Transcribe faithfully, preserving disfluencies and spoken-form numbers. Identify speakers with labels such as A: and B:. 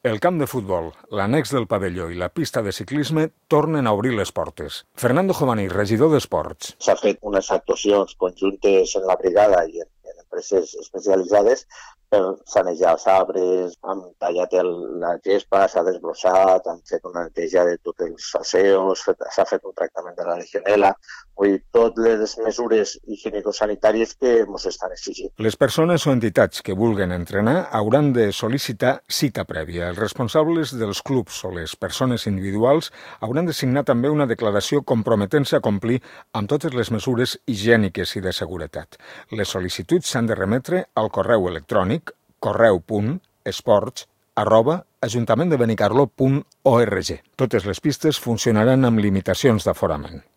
A: El camp de futbol, l'annex del pavelló i la pista de ciclisme tornen a obrir les portes. Fernando Jovani, regidor d'Esports.
B: S'ha fet unes actuacions conjuntes en la brigada i en, en empreses especialitzades per sanejar els arbres, han tallat el, la gespa, s'ha desbrossat, han fet una neteja de tots els asseos, s'ha fet un tractament de la legionel·la, vull dir, totes les mesures higienico-sanitàries que ens estan exigint.
A: Les persones o entitats que vulguen entrenar hauran de sol·licitar cita prèvia. Els responsables dels clubs o les persones individuals hauran de signar també una declaració comprometent-se a complir amb totes les mesures higièniques i de seguretat. Les sol·licituds s'han de remetre al correu electrònic correu punt esports arroba ajuntament de benicarló punt org. Totes les pistes funcionaran amb limitacions d'aforament.